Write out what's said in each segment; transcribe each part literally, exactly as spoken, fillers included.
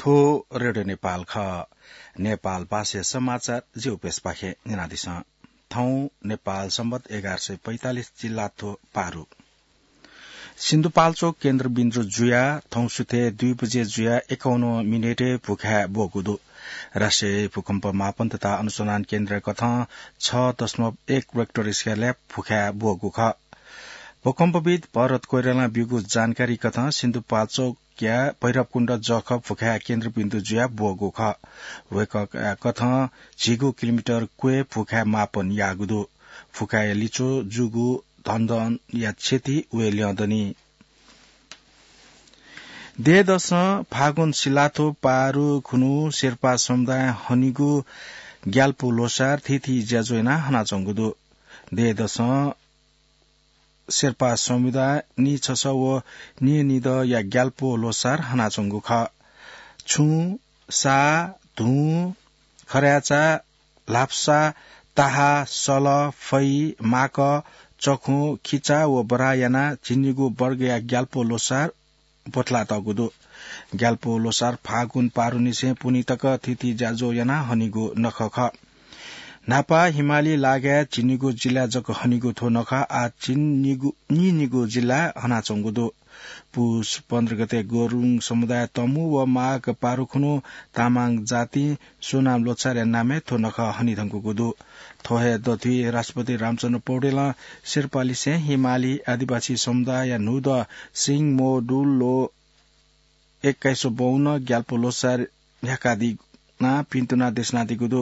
पो रेडियो नेपाल खः। नेपाल भाषा समाचार जिउपेसपाखे न्यनादिसँ। थौं नेपाल संवत एघार सय पैंतालिस जिल्लाथ्व पारु। सिन्धुपाल्चोक केन्द्रबिन्दु जुया थौं सुथे दुई बजे जुया एकाउन्न मिनेटय् भुखाय् ब्वःगु दु। राष्ट्रिय भूकम्प मापन तथा अनुसन्धान केन्द्र कथं छ दशमलव एक रेक्टर स्केलय् भुखाय् ब्वःगु खः। भूकम्पविद भरत कोइरालां ब्यूगु जानकारी कथं सिन्धुपाल्चोक या भैरवकुण्ड जःखः भुखाय् केन्द्रबिन्दु जुया ब्वःगु खः। वय्कःया कथं झिगू किलोमिटर क्वय् भुखाय् मापन याःगु दु। भुखाय् लिच्वः जूगु धनधनया क्षति वये ल्यं दनि। देय्‌दसं फागुन सिलाथ्व पारु खुन्हु शेर्पा समुदायं हनीगु ग्याल्पो ल्होसार थीथी ज्याझ्वः यानाः हनाच्वंगु दु। देय्‌दसं शेर्पा समुदायं निछसः व निनिदँया ग्याल्पो ल्होसार हनाच्वंगु खः। छुं, सा, धुं, खर्याचा, ल्हापसा, ताहा, सल, फै, माकः, चखुं, खिचा व बराः यानाः झिंनिगू वर्गया ग्याल्पो ल्होसार ब्वथलातःगु दु। ग्याल्पो ल्होसार फागुन पारुनिसें पुन्हि तक थीथी ज्याझ्वः यानाः हनीगु नखः खः। न्हापा हिमाली लागाय् झिंनिगू जिल्लाय् जक हनीगु थ्व नखः आः झिंनिगू, निनिगू जिल्लाय् हनाच्वंगु दु। पुस पन्ध्र गते गुरुङ समुदाय तमु व माघ पारु खुन्हु तामाङ जातिं स्वनाम ल्होसारया नामय् थ्व नखः हनेधुंकूगु दु। थ्व हे दथुइ राष्ट्रपति रामचन्द्र पौडेलं शेर्पालिसें हिमाली आदिवासी समुदायया न्हूदँ सिंह मो डुल ल्हो एक्काइसौं बौन्न ग्याल्पो ल्होसार न्ह्याकादी नं पिन्तुना देछानादीगु दु।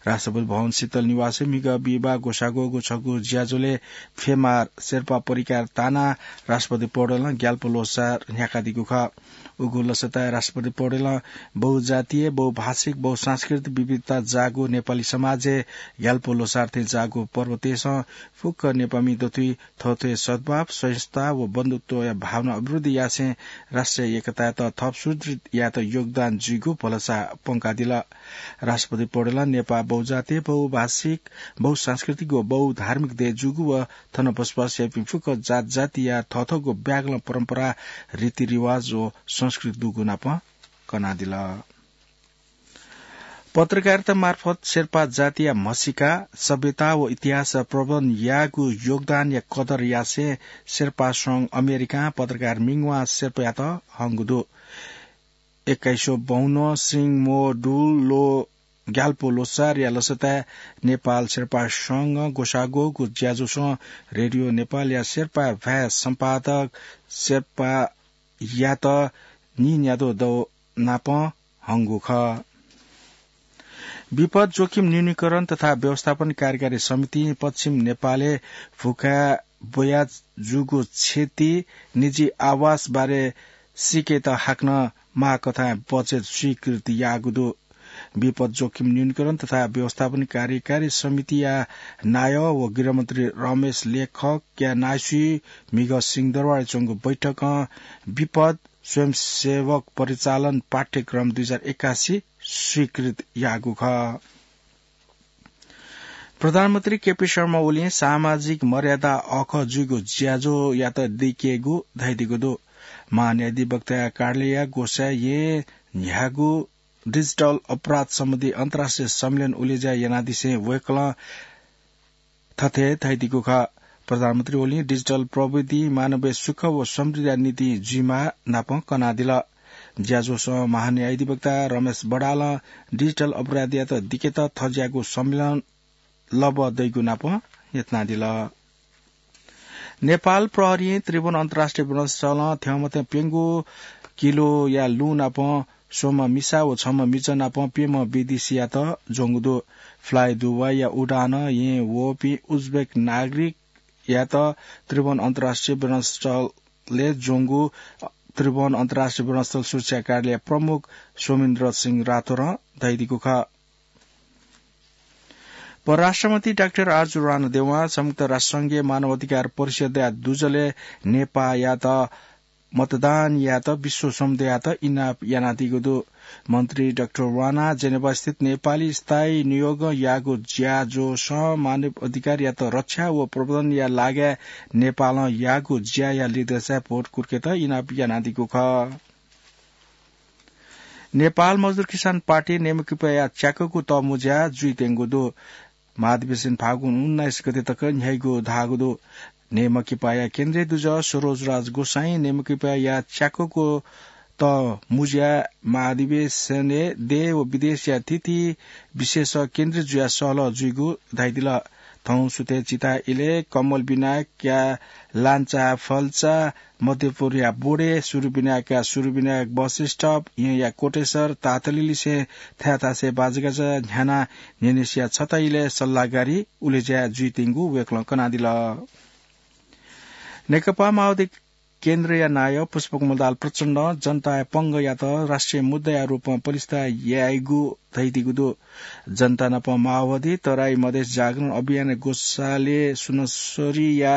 राष्ट्रपति भवन शीतल निवासय् म्हिगः बिहिबाः ग्वसाः ग्वःगु छगू ज्याझ्वलय् फेमार शेर्पा परिकार तानाः राष्ट्रपति पौडेलं ग्याल्पो ल्होसार न्ह्याकादीगु खः। उगु लसताय् राष्ट्रपति पौडेलं बहुजातीय, बहुभाषिक, बहुसांस्कृतिक विविधता जाःगु नेपाली समाजय् ग्याल्पो ल्होसार थें जाःगु पर्व तयेसं फुक्क नेपाःमि दथुइ थःथःया सद्भाव, सहिष्णुता व बन्धुत्वया भावना अभिवृद्धि यासें राष्ट्रिय एकतायात थप सुदृढ यायेत योगदान जुइगु भलसा प्वंकादिल। राष्ट्रपति पौडेलं नेपाः बहुजातीय, बहुभाषिक, बहुसांस्कृतिक व बहुधार्मिक देय् जूगु व थन बसोबास याइपिं फुक्क जात जातिया थःथःगु ब्यागलं परम्परा, रीतिरिवाज व संस्कृति दुगु नाप कनादिल। पत्रकारिता मार्फत शेर्पा जातिया म्हसीका, सभ्यता व इतिहास प्रवर्धन याःगु योगदानया कदर यासें शेर्पा संघ अमेरिकां पत्रकार मिङवा शेर्पायात हंगु दु। एक्काइसौं बौन्न सिंह मो डुल ल्हो ग्याल्पो ल्होसारया लसताय् नेपाल शेर्पा संघं ग्वसाः ग्वःगु ज्याझ्वलय् रेडियो नेपालया शेर्पा भाय् सम्पादक शेर्पायात निन्यादँ दौ नाप हंगु खः। विपद जोखिम न्यूनीकरण तथा व्यवस्थापन कार्यकारी समितिं पश्चिम नेपालय् भुखाय् ब्वया जूगु क्षति निजी आवास बारे सीकेत हाकनं माःकथाय् बजेट स्वीकृत याःगु दु। विपद जोखिम न्यूनीकरण तथा व्यवस्थापन कार्यकारी समितिया नायः व गृहमन्त्री रमेश लेखकया नायःसुइ म्हिगः सिंहदरबारय् च्वंगु बैठकं विपद स्वयंसेवक परिचालन पाठ्यक्रम दुई हजार एकासी स्वीकृत याःगु खः। प्रधानमन्त्री केपी शर्मा ओलीं सामाजिक मर्यादा अःखः जुइगु ज्याझ्वःयात दिकेगु धयादीगु दु। महान्यायाधिवक्ताया कार्यालयया ग्वसाः येँ न्ह्याःगु डिजिटल अपराध सम्बन्धी अन्तर्राष्ट्रिय सम्मेलन उलेज्या यानादिसें वय्कलं थथे धयादीगु खः। प्रधानमन्त्री ओलीं डिजिटल प्रविधि मानवीय सुख व समृद्धिया निंतिं जुइमाः नाप कनादिल। ज्याझ्वलय् महान्यायाधिवक्ता रमेश बडालं डिजिटल अपराधयात दिकेत थज्याःगु सम्मेलन लबः दइगु नाप न्ह्यथनादिल। नेपाल प्रहरीं त्रिभुवन अन्तर्राष्ट्रिय विमानस्थलं थ्यंमथ्यं प्यंगू किलोया लुँ नाप स्वम्ह मिसा व छम्ह मिजं नाप प्यम्ह विदेशीयात ज्वंगु दु। फ्लाई दुबईया उडानं येँ वःपिं उज्बेक नागरिकयात त्रिभुवन अन्तर्राष्ट्रिय विमानस्थलय् ज्वंगु त्रिभुवन अन्तर्राष्ट्रिय विमानस्थल सुरक्षा कार्यालय प्रमुख सोमेन्द्र सिंह राठौरं धयादीगु खः। परराष्ट्रमन्त्री डाक्टर आरजु राणादेवं संयुक्त राष्ट्रसंघीय मानव अधिकार परिषदया दुजलय् नेपाःयात मतदान यायेत विश्व समुदाययात इनाप यानादीगु दु। मन्त्री डाक्टर राणा जेनेभास्थित नेपाली स्थायी नियोगं याःगु ज्याझ्वलय् मानव अधिकारयात रक्षा व प्रवर्धनया लागाय् नेपालं याःगु ज्याया लिधंसाय् भोट कुर्केत इनाप यानादीगु खः। नेपाल मजदुर किसान पार्टी नेमकिपाया च्याकःगु तःमुँज्या जुइत्यंगु दु। महाधिवेशन फागुन उन्नाइस गते तक न्ह्याइगु धाःगु दु। नेमकिपाया केन्द्रीय दुजः सरोजराज गोसाईं नेमकिपाया च्याकःगु तःमुँज्या महाधिवेशनय् देश व विदेशया थीथी विशेष केन्द्रीय जुयाः सहलह जुइगु धयादिल। थौं सुथय् चिता इलय् कमल विनायकया लान्चा फल्चा, मध्यपुरया बोडे, सुरु विनायकया सुरु विनायक बस स्टप, येँया कोटेश्वर, तातलिलिसें थाय्‌थासय् बाजागाजा न्ह्यानाः न्हेनेसिया छता इलय् सल्लाहगारी उलेज्या जुइत्यंगु वय्‌कलं कनादिल। नेकपा माओवादी केन्द्रया नायः पुष्पकमल दाहाल प्रचण्डं जनताया पंगःयात राष्ट्रिय मुद्दाया रूपमा पलिस्था याइगु धयादीगु दु। जनता नाप माओवादी, तराई मधेस जागरण अभियानया ग्वसालय् सुनसरीया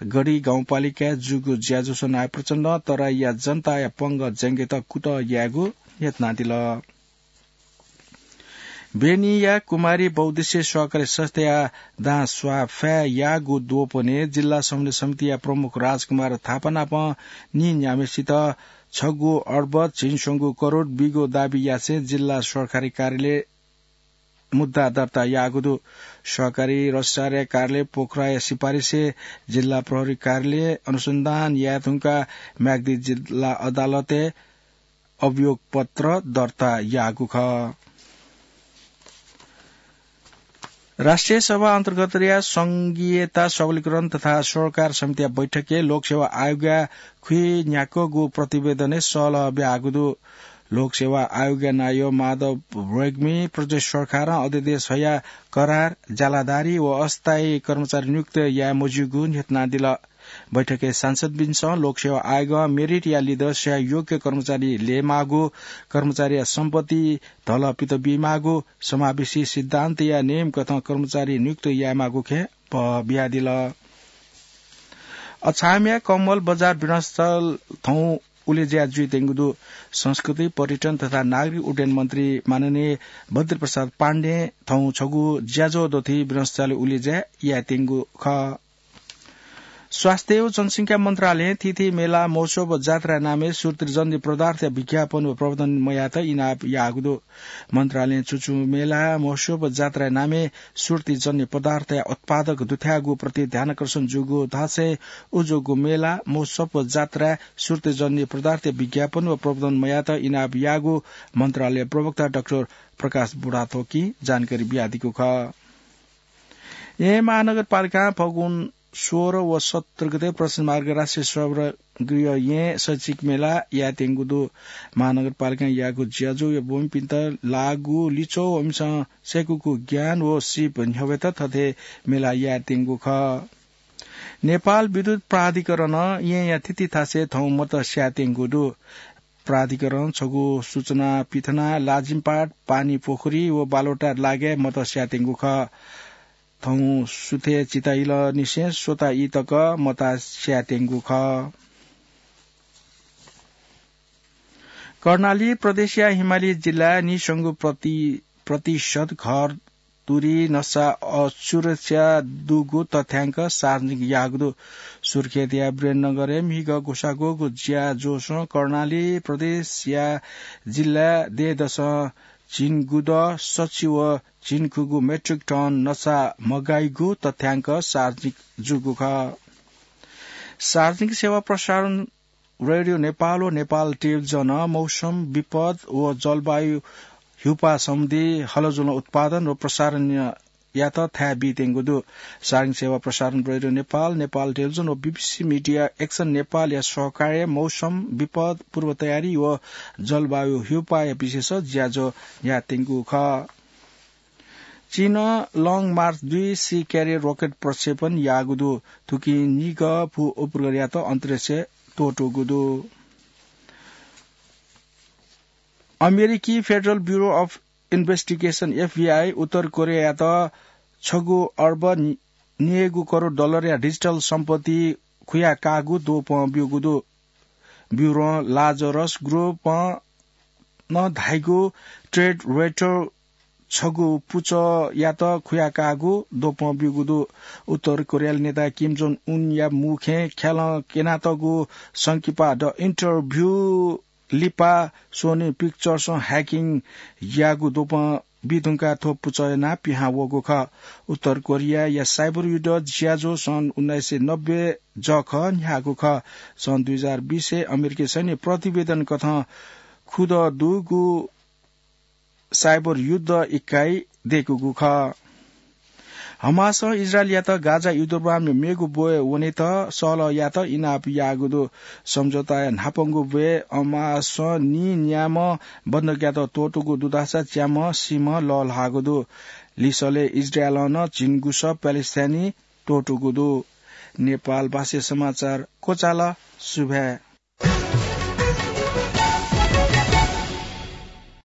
गढी गाउँपालिकाय् जूगु ज्याझ्वलय् नायः प्रचण्डं तराईया जनताया पंगः ज्यंकेत कुतः यायेगु न्ह्यथनादिल। बेनीया कुमारी बहुद्देश्य सहकारी संस्थाया दां स्वाफाय् याःगु द्वपनय् जिल्ला समन्वय समितिया प्रमुख राजकुमार थापा नाप नीन्याम्हेसित छगू अर्ब झिंस्वंगू करोड बीगु दाबी यासें जिल्ला सरकारी कार्यालय मुद्दा दर्ता याःगु दु। सहकारी रजिस्ट्रारया कार्यालय पोखराया सिफारिसय् जिल्ला प्रहरी कार्यालय अनुसन्धान याये धुंकाः म्याग्दी जिल्ला अदालतय् अभियोग पत्र दर्ता याःगु खः। राष्ट्रिय सभा अन्तर्गतया संघीयता सबलीकरण तथा सरोकार समितिया बैठकय् लोकसेवा आयोगया खुइन्याक्वःगु प्रतिवेदनय् सहलह ब्याःगु दु। लोकसेवा आयोगया नायः माधव रेग्मी प्रदेश सरकारं अध्यादेश हया करार, ज्यालादारी व अस्थायी कर्मचारी नियुक्त याये मज्यूगु न्ह्यथनादिल। बैठकय् सांसदपिन्सं लोकसेवा आयोगं मेरिटया लिधंस्यां योग्य कर्मचारी ल्ययेमाःगु, कर्मचारीया सम्पत्ति धलपित बीमाःगु, समावेशी सिद्धान्तया नेमकथं कर्मचारी नियुक्त यायेमाःगु खँय् बः बियादिल। अछामया कमल बजार विरणस्थल थौं उलेज्या जुइत्यंगु दु। संस्कृति, पर्यटन तथा नागरिक उड्डयन मन्त्री माननीय बद्री प्रसाद पाण्डें थौं छगू ज्याझ्वः दथुइ विरणस्थलय् उलेज्या यायेत्यंगु खः। स्वास्थ्य व जनसंख्या मन्त्रालयं थीथी मेला, महोत्सव व जात्राया नामय् श्रुतिजन्य पदार्थया विज्ञापन व प्रवर्धन मयायेत इनाप याःगु दु। मन्त्रालयं छु छु मेला, महोत्सव व जात्राया नामय् श्रुतिजन्य पदार्थया उत्पादक दुथ्याःगु प्रति ध्यानाकर्षण जूगु धासें उजूगु मेला, महोत्सव व जात्राय् श्रुतिजन्य पदार्थया विज्ञापन व प्रवर्धन मयायेत इनाप याःगु मन्त्रालय प्रवक्ता डाक्टर प्रकाश बुढाथोकीं जानकारी बियादीगु खः। येँ महानगरपालिकां फगुन सोह्र व सत्र गते प्रशासन मार्ग राष्ट्रिय सभागृह येँ शैक्षिक मेला यायेत्यंगु दु। महानगरपालिकां याःगु ज्याझ्वःया ब्वमिपिन्त लाःगु लिच्वः व इमिसं सय्‌कूगु ज्ञान व सिप न्ह्यब्वयेत थथे मेला यायेत्यंगु खः। नेपाल विद्युत प्राधिकरणं येँया थीथी थासय् थौं मत स्यायेत्यंगु दु। प्राधिकरणं छगू सूचना पिथनाः लाजिमपाट, पानी पोखरी व बालोटाय् लागाय् मत स्यायेत्यंगु खः। थौं सुथय् चिताइलनिसें स्वता ई तक मत स्यायेत्यंगु खः। कर्णाली प्रदेशया हिमाली जिल्लाय् निस्वंगू प्रति-, प्रतिशत घर तुरी नसा असुरक्षा दुगु तथ्याङ्क सार्वजनिक याःगु दु। सुर्खेतया वीरेन्द्रनगरय् म्हिगः ग्वसाः ग्वःगु ज्याझ्वलय् कर्णाली प्रदेशया जिल्ला देय्‌दसं झिंगुदँ सछि व झिंखुगू मेट्रिक टन नसा मगाइगु तथ्याङ्क सार्वजनिक जूगु खः। सार्वजनिक सेवा प्रसारण रेडियो नेपाल व नेपाल टेलिभिजनं मौसम विपद व जलवायु ह्युपा सम्बन्धी हलजुलं उत्पादन व प्रसारणयात थाय् बीत्यंगु दु। सार्वजनिक सेवा प्रसारण रेडियो नेपाल, नेपाल टेलिभिजन व बीबीसी मिडिया एक्सन नेपालया सहकार्यय् मौसम विपद पूर्व तयारी व जलवायु ह्युपाया विषयस ज्याझ्वः यायेत्यंगु खः। चीनं Long March दुई C carrier rocket प्रक्षेपण याःगु दु। थुकिं निगः भू उपग्रहयात अन्तरिक्षय् त्वःतूगु दु। अमेरिकी Federal Bureau of Investigation, FBI, उत्तर कोरियायात छगू अर्ब निगू करोड डलरया डिजिटल सम्पत्ति खुयाकाःगु द्वपं ब्यूगु दु। ब्यूरों लाजरस ग्रुपं नं धाइगु ट्रेड रेटर छगू पुचःयात खुयाकाःगु द्वपं ब्यूगु दु। उत्तर कोरियाली नेता किम जोङ उनया मुखय् ख्यालं क्यनातःगु संकिपा द इन्टरभ्यू लिपा सोनी पिक्चर्सं ह्याकिङ याःगु द्वपं बी धुंकाः थ्व पुचः यानाः पिहां वःगु खः। उत्तर कोरियाया साइबर युद्ध ज्याझ्वः सन् उन्नाइस सय नब्बे जखं न्ह्याःगु खः। सन् दुई हजार बिसय् अमेरिकी सैन्य प्रतिवेदन कथं खुदँ दुगु साइबर युद्ध इकाइ दय्कूगु खः। हमासं इजरायलयात गाजा युद्धविरामया मेगु ब्वय् वनेत सल्लाह यायेत इनाप याःगु दु। सम्झौताया न्हापांगु ब्वय् हमासं नीन्याम्ह बन्धकयात त्वःतूगु दुधासा च्याम्ह सीम्ह लःल्हाःगु दु। लिसलय् इजरायलं नं झिंगुसः प्यालेस्टाइनी त्वःतूगु दु। नेपाल भाषाय् समाचार क्वचाल। सुभाय्।